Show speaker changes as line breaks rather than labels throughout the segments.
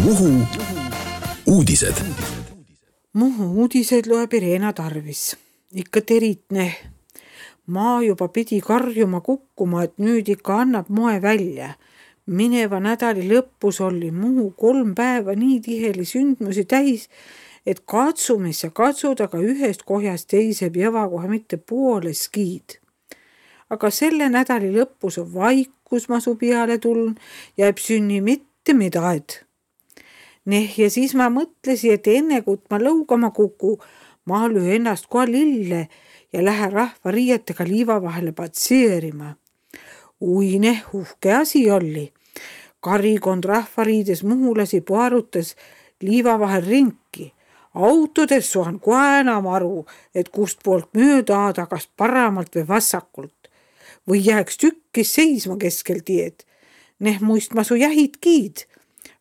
Muhu uudised.
Muhu uudised loeb Irena Tarvis. Ikka teritne. Maa juba pidi karjuma kukkuma, et nüüd ikka annab moe välja. Mineva nädali lõpus oli Muhu 3 päeva nii tiheli sündmusi täis, et katsumis ja katsud, aga ühest kohjast teise jõva kohe mitte poole skiid. Aga selle nädali lõpus on vaikus masu peale tulnud ja ei sünni mitte midagi. Ja siis ma mõtlesin, et enne kui ma lõugama kuku, ma löö ennast kohe lille ja lähe rahva riietega liiva vahele patseerima. Uhke asi oli. Karikond rahvariides muhulasi puarutas liiva vahel rinki. Autodes suhan kohe enam aru, et kust poolt mööda aada, kas paramalt või vassakult. Või jääks tükkis seisma keskel tied. Muist masu jähid kiid.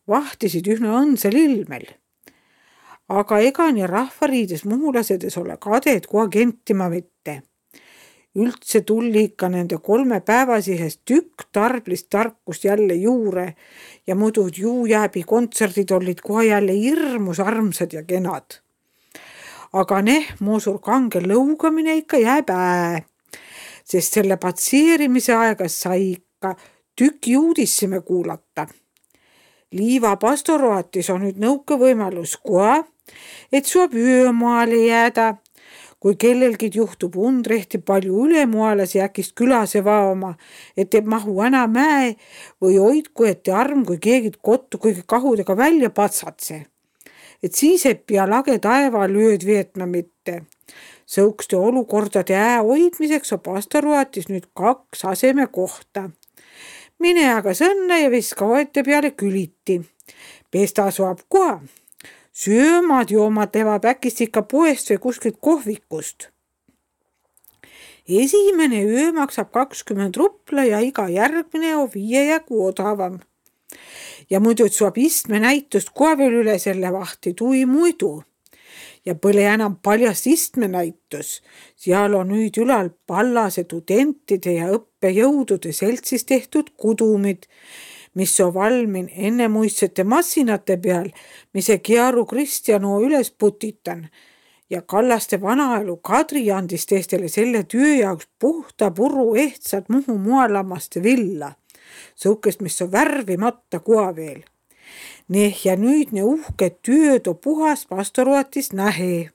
Vahtisid ühna õnsel ilmel. Aga ega nii rahvariides muhulasedes ole kadeed kohe kentima mitte. Üldse tulli ikka nende 3 päevasihest tükk tarblist tarkust jälle juure ja muidu juujääbi kontserdid olid kohe jälle hirmus armsad ja kenad. Aga muusur kange lõugamine ikka jääb sest selle patseerimise aegas sai ikka tüki uudissime kuulata. Liiva pastoroatis on nüüd nõuke võimalus kohe, et suab öömaale jääda. Kui kellelgi juhtub undrehti palju ülemualasi äkist külase vaoma, et ei mahu enam mäe või hoidku ette arm, kui keegi kottu kõige kahudega välja patsatse. Et siis ei pea lage taeval ööd veetma mitte. Sõukste olukordade hoidmiseks on pastoroatis nüüd 2 aseme kohta. Mine aga sõnne ja viska oete peale küliti. Pesta suab kohe. Söömad joomad teevad äkist ikka poest või kuskilt kohvikust. Esimene öö maksab 20 rupla ja iga järgmine on 5 jagu odavam. Ja muidu suab istme näitust kohe veel üle selle vahti tui muidu. Ja põle enam paljast istme näitus. Seal on nüüd ülal pallase tudentide ja õppejõudude seltsis tehtud kudumid, mis on valmin ennemuistsete massinate peal, mis Kiaru Kristjano üles putitan. Ja Kallaste vanaelu Kadri andis teistele selle töö jaoks puhta puru ehtsad Muhu moelammaste villa. Sõukest, mis on värvimata koha veel. Ja nüüd uhke tööd on puhas pastoroatis nähe.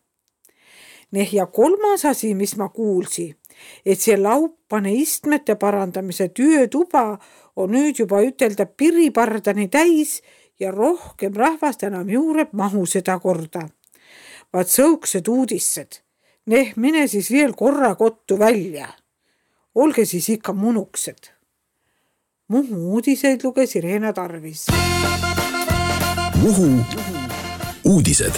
Ja 3. asi, mis ma kuulsi, et see laupane istmete parandamise töötuba on nüüd juba ütelda piripardani täis ja rohkem rahvast enam juureb mahu seda korda. Vaat sõuksed uudissed. Mine siis veel korra kottu välja. Olge siis ikka munuksed. Muhu uudiseid luges Irena Tarvis.
Muhu uudised.